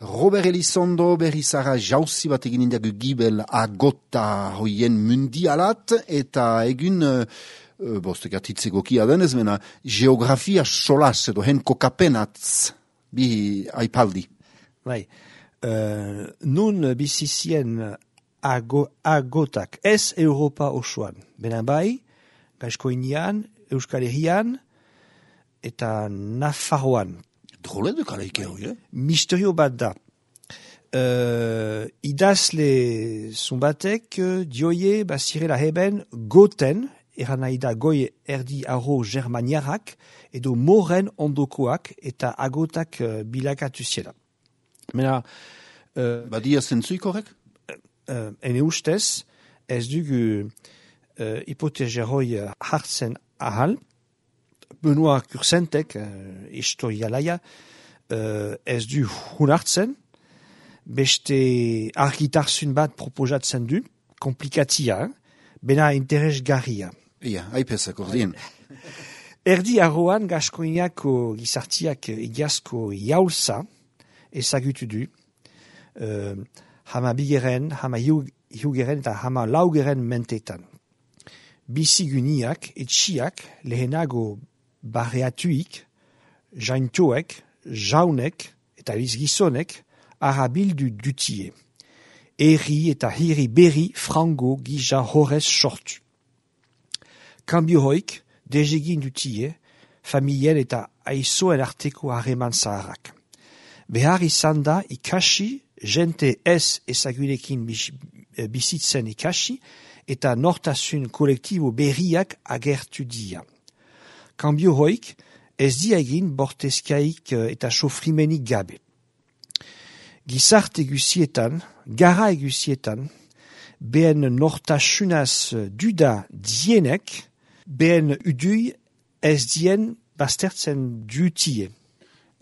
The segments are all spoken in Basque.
Robert Elizondo berrizara jauzi bat egin indiagu gibel agota hoien mundialat, eta egun, bostek atitzegokia denez, mena, geografia solas edo hen kokapenatz, bi aipaldi. Bai, nun bizizien agotak, ez Europa osoan, bena bai, Gaizkoinian, Euskal Herrian, eta Nafarroan. Drole duk aleike hori, Misterio bat da. Idazle zumbatek dioie bazirela heben goten, eran nahi da goi erdi arro germaniarak, edo moren ondokoak eta agotak bilakatu ziela. Mena... Badia zentzuik horrek? Ene ustez, ez dugu hipoteseroi hartzen ahal, Benoit Kursentek, historialaia, ez du hunartzen, beste argitarzun bat proposatzen du, komplikatia, bena interesgarria. Ia, haipezak ordien. Erdi arroan Gaskoiniako gizartiak egiazko jaulza ezagutu du, hama bigeren, hama hiugeren eta hama laugeren mentetan. Biziguniak, etxiak, lehenago barreatuik, jaintoek, jaunek eta bizgizonek arabildu dutie. Eri eta hiri berri frango gija horrez sortu. Kambio hoik, dezegin dutie, familien eta aizoen arteko harreman zaharrak. Behar izan da ikasi, jente ez ezagunekin bizitzen ikasi, eta nortasun kolektibo berriak agertu dia. Kambio hoik, ez dia egin bortezkaik eta sofrimenik gabe. Gizarte egusietan, gara egusietan, behen nortasunaz duda dienek, behen udui ez dien baztertzen dutie.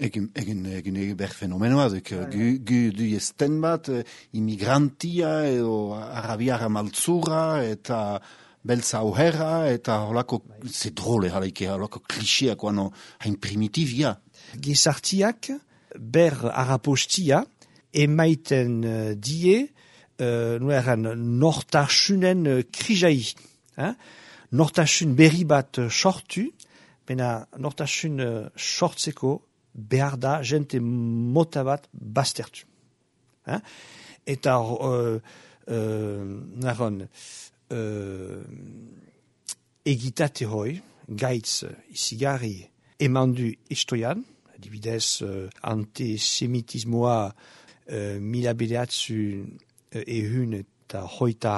Egin ber fenomenoa, gu du esten bat, immigrantia edo arabiara maltzura eta beltza auherra eta holako zedrole halaike, holako kliseak guano hain primitivia. Gizartiak ber arapostia emaiten die nueran nortasunen krijai. Nortasun berri bat sortu, bena nortasun sortzeko behar da jente mota bat baztertu. Eta naron egitate hoi, gaitz izigarri emandu istoian, adibidez antisemitismoa mila bedeatzu ehun eta hoita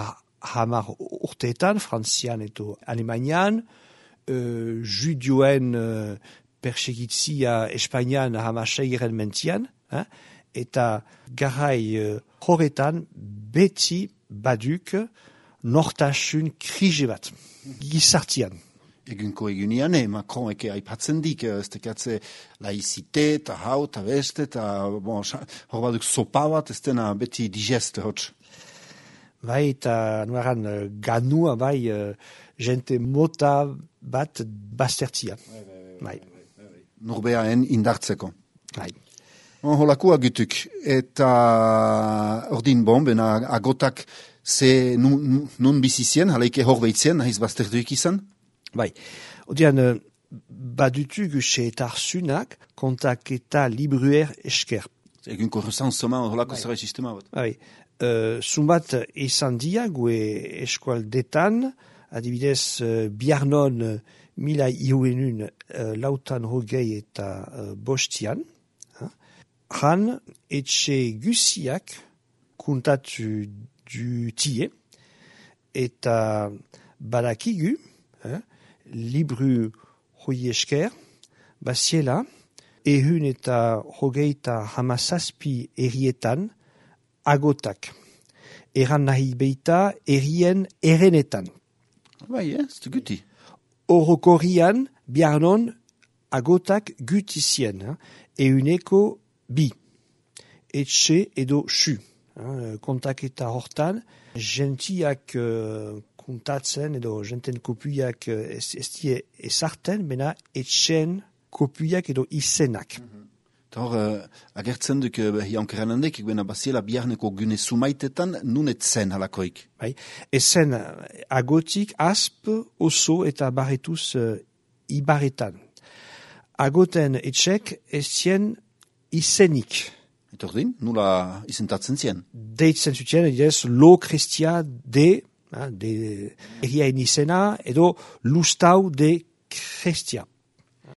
hamar urteetan, Frantzian eta Alemanian, judioen persegitzia Espainian hamaseiren mentian, eta garai horretan beti baduk nortasun krije bat, gizartian. Egunko egunian, Macron eke aipatzen dik, ez tekatze laizite eta hau eta beste, eta hor baduk sopa bat, ez dena beti digeste hotz. Bai, eta nuaran ganua, bai, jente mota bat baztertzia. Bai. Norbeaen indartzeko. Bai. Holakua gutuk, eta ordin bena agotak ze nun bizizien, haleike hor behitzien, nahiz bazterduik izan? Bai, odian badutugu seetarzunak kontak eta libruer esker. Egunko resansoma holako zerre sistema bat. Bai, zumbat izan dia gue eskualdetan, adibidez biarnon mila iuenun lautan hogei eta bostian. Han etxe guziak kuntatu dutie eta badakigu, libru hoi esker, basiela, ehun eta hogeita hamazazpi errietan agotak. Eran nahi beita errien erenetan. Bai, ez du guti. Orokorrian biarnon agotak gutizien, ehuneko bi. Etxe edo su. Kontaketa hortan, gentiak kontatzen edo genten kopuiak ez die ezarten, bena etxen kopuiak edo izenak. Hor, agertzen duk hiankeren handek, bena baziela biharneko gune sumaitetan, nun etzen halakoik. Bai, ezen agotik asp, oso eta barretuz ibarretan. Agoten etxek ezien izenik. Eta ordin, nula izentatzen zien? Deitzen zuten, edez, lo kristia de egiain izena, edo lustau de kristia.